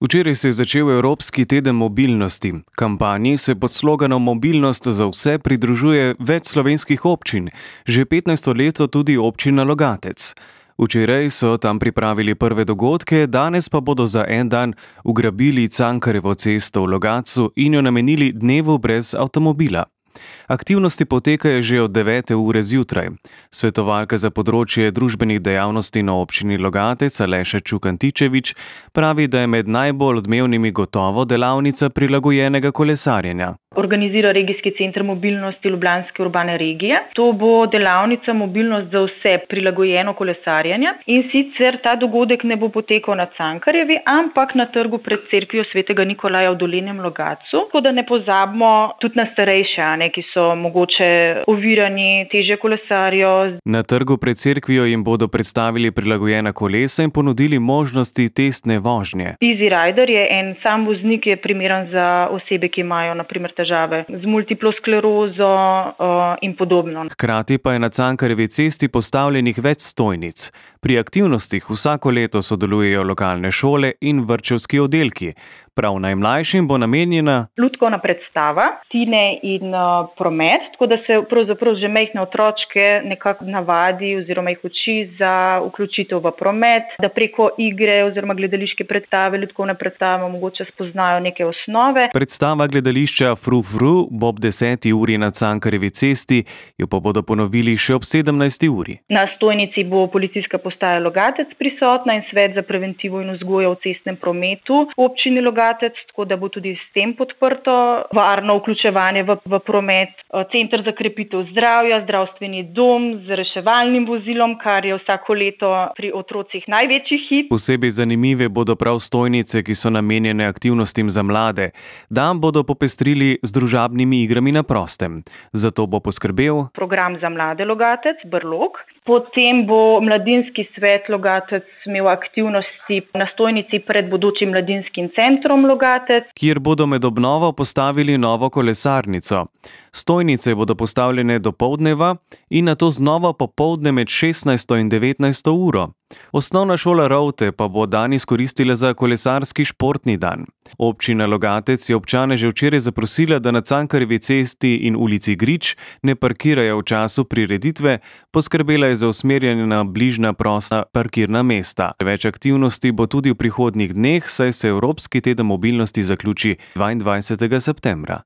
Včeraj se je začel Evropski teden mobilnosti. Kampanji se pod sloganom Mobilnost za vse pridružuje več slovenskih občin, že 15. leto tudi občina Logatec. Včeraj so tam pripravili prve dogodke, danes pa bodo za en dan ugrabili Cankarjevo cesto v Logatcu in jo namenili dnevu brez avtomobila. Aktivnosti potekajo že od 9. ure zjutraj. Svetovalka za področje družbenih dejavnosti na občini Logatec Aleša Čukantičevič pravi, da je med najbolj odmevnimi gotovo delavnica prilagojenega kolesarjenja. Organizira Regijski center mobilnosti Ljubljanske urbane regije. To bo delavnica Mobilnost za vse prilagojeno kolesarjenje in sicer ta dogodek ne bo potekal na Cankarjevi, ampak na trgu pred cerkvijo svetega Nikolaja v Dolenjem Logatcu. Tako da ne pozabimo tudi na starejše, ki so mogoče ovirani, težje kolesarijo. Na trgu pred cerkvijo jim bodo predstavili prilagojena kolesa in ponudili možnosti testne vožnje. Easy Rider je en sam voznik, ki je primeren za osebe, ki imajo na primer težave z multiplo sklerozo in podobno. Hkrati pa je na Cankarjevi cesti postavljenih več stojnic. Pri aktivnostih vsako leto sodelujejo lokalne šole in vrtčevski oddelki. Prav najmlajšim bo namenjena lutkovna predstava, Tine in promet, tako da se pravzaprav že majhne otročke nekako navadi oziroma jih uči za vključitev v promet, da preko igre oziroma gledališke predstave, lutkovne predstave mogoče spoznajo neke osnove. Predstava gledališča Fru Fru bo ob 10. uri na Cankarjevi cesti, jo pa bodo ponovili še ob 17. uri. Na stojnici bo policijska postaja Logatec prisotna in svet za preventivo in vzgojo v cestnem prometu v občini Logatec, tako da bo tudi s tem podprto varno vključevanje v promet. Center za krepitev zdravja, zdravstveni dom z reševalnim vozilom, kar je vsako leto pri otrocih največji hit. Posebej zanimive bodo prav stojnice, ki so namenjene aktivnostim za mlade. Dan bodo popestrili z družabnimi igrami na prostem. Zato bo poskrbel program za mlade Logatec, Brlog. Potem bo mladinski svet Logatec imel aktivnosti na stojnici pred bodočim mladinskim centrom Logatec, kjer bodo med obnovo postavili novo kolesarnico. Stojnice bodo postavljene do poldneva in nato znova popoldne med 16. in 19. uro. Osnovna šola Rovte pa bo dan izkoristila za kolesarski športni dan. Občina Logatec je občane že včeraj zaprosila, da na Cankarjevi cesti in ulici Grič ne parkirajo v času prireditve, poskrbela je za usmerjanje na bližnja prosta parkirna mesta. Več aktivnosti bo tudi v prihodnjih dneh, saj se Evropski teden mobilnosti zaključi 22. septembra.